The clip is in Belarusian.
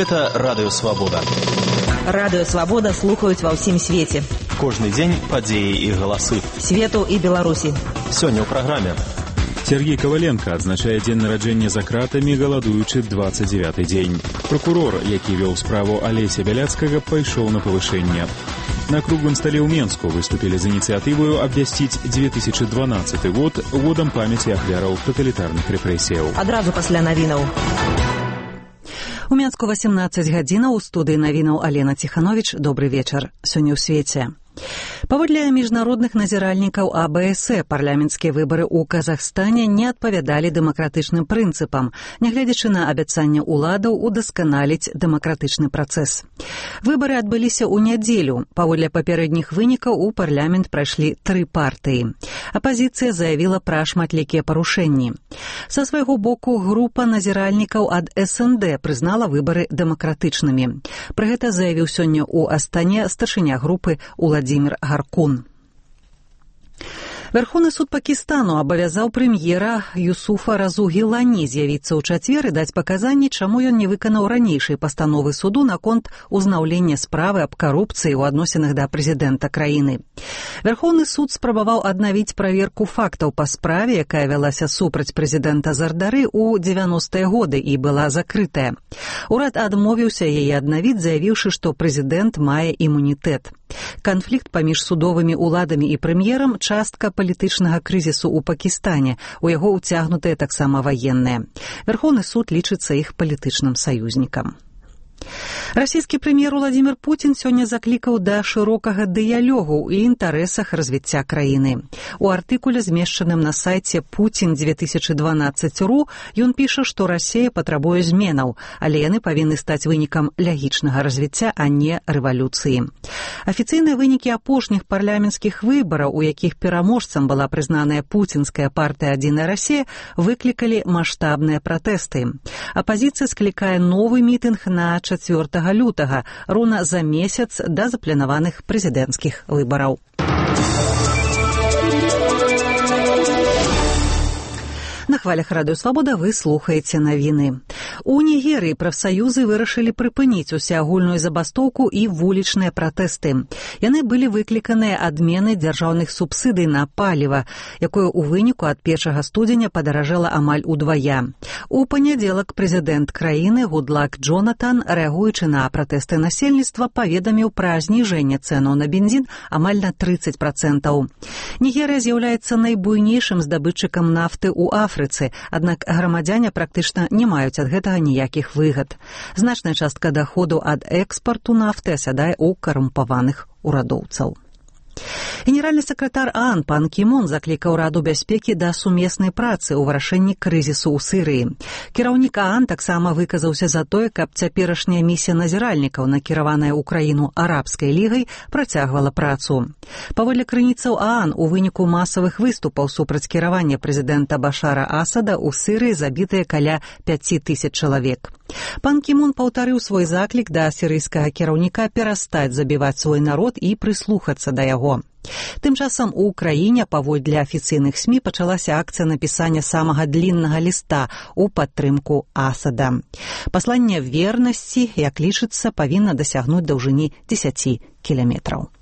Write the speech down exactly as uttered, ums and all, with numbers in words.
Гэта Радыё Свабода. Радыё Свабода слухаюць ва ўсім свеце. Кожны дзень падзеі і галасы. Свету і Беларусі. Сёння ў праграме. Сергей Коваленко адзначае дзень нараджэння за кратамі, галадуючы дваццаць дзевяты дзень. Прокурор, які вёў справу Алеся Бяляцкага, пайшоў на павышэнне. На круглым стале ў Менску выступілі з ініцыятываю абвясціць две тысячы дванаццаты год годам памяці ахвяраў таталітарных рэпрэсіяў. Адразу пасля навінаў. У Менску васемнаццаць гадзінаў, у студыі навінаў Алена Ціхановіч. Добры вечар. Сёння ў свеце. Паводле міжнародных назіральнікаў А Бэ Эс Э, парламенцкія выбары ў Казахстане не адпавядалі дэмакратычным прынцыпам, нягледзячы на абяцанне ўладаў удасканаліць дэмакратычны працэс. Выбары адбыліся ў нядзелю. Паводле папярэдніх вынікаў у парламент прайшлі тры партыі. Апазіцыя заявіла пра шматлікія парушэнні. Са свайго боку, група назіральнікаў ад Эс Эн Дэ прызнала выбары дэмакратычнымі. Пра гэта заявіў сёння ў Астане старшыня групы Уладзімір Гаркун. Верховны суд Пакістану абавязаў прэм'ера Юсуфа Разу Гілані з'явіцца ў чацвер і даць паказанні, чаму ён не выканаў ранейшай пастановы суду наконт узнаўлення справы аб карупцыі ў адносінах да прэзідэнта краіны. Верховны суд спрабаваў аднавіць праверку фактаў па справе, якая вялася супраць прэзідэнта Зардары ў дзевяностыя годы і была закрытая. Урад адмовіўся яе аднавіць, заявіўшы, што прэзідэнт мае імунітэт. Канфлікт паміж судовымі уладамі і прэм'ерам – частка палітычнага крызісу ў Пакістане. У яго ўцягнутыя таксама ваенныя. Верховны суд лічыцца іх палітычным саюзнікам. Расійскі прэм'ер Уладзімір Пуцін сёння заклікаў да шырокага дыялогу ў інтарэсах развіцця краіны. У артыкуле, змешчаным на сайце Путін две тысячы дванаццаць точка ру, ён піша, што Расія патрабуе зменаў, але яны павінны стаць вынікам лягічнага развіцця, а не рэвалюцыі. Афіцыйныя вынікі апошніх парламенцкіх выбараў, у якіх пераможцам была прызнаная пуцінская партыя «Адзіная Расія», выклікалі маштабныя пратэсты. Апазіцыя склікае новы мітынг на чацвёртага лютага, роўна за месяц да запланаваных прэзідэнцкіх выбараў. На хвалях Радыё Свабода вы слухаеце навіны. У Нігерыі прафсаюзы вырашылі прыпыніць усеагульную забастоўку і вулічныя пратэсты. Яны былі выкліканыя адменай дзяржаўных субсідый на паліва, якое ў выніку ад першага студзеня падаражэла амаль удвая. У панядзелак прэзідэнт краіны Гудлак Джонатан, рэагуючы на пратэсты насельніцтва, паведаміў пра зніжэнне цэнаў на бензін амаль на трыццаць працэнтаў. Нігерыя з'яўляецца найбуйнейшым здабытчыкам нафты ў Афрыцы, аднак грамадзяне практычна не маюць ад гэтага ніякіх выгад. Значная частка даходу ад экспарту нафты асядае ў карумпаваных урадоўцаў. Генеральны сакратар ААН пан Кі Мун заклікаў Раду бяспекі да сумеснай працы ў вырашэнні крызісу ў Сірыі. Кіраўнік ААН таксама выказаўся за тое, каб цяперашняя місія назіральнікаў, накіраваная ў краіну арабскай лігай, працягвала працу. Паводле крыніцаў ААН, у выніку масавых выступаў супраць кіравання прэзідэнта Башара Асада ў Сірыі забітыя каля пяць тысяч чалавек. Пан Кі Мун паўтарыў свой заклік да сірыйскага кіраўніка перастаць забіваць свой народ і прыслухацца да яго. Тым часам у краіне, паводле афіцыйных СМІ, пачалася акцыя напісання самага дліннага ліста ў падтрымку Асада. Пасланне вернасці, як лічыцца, павінна дасягнуць даўжыні дзесяць кіламетраў.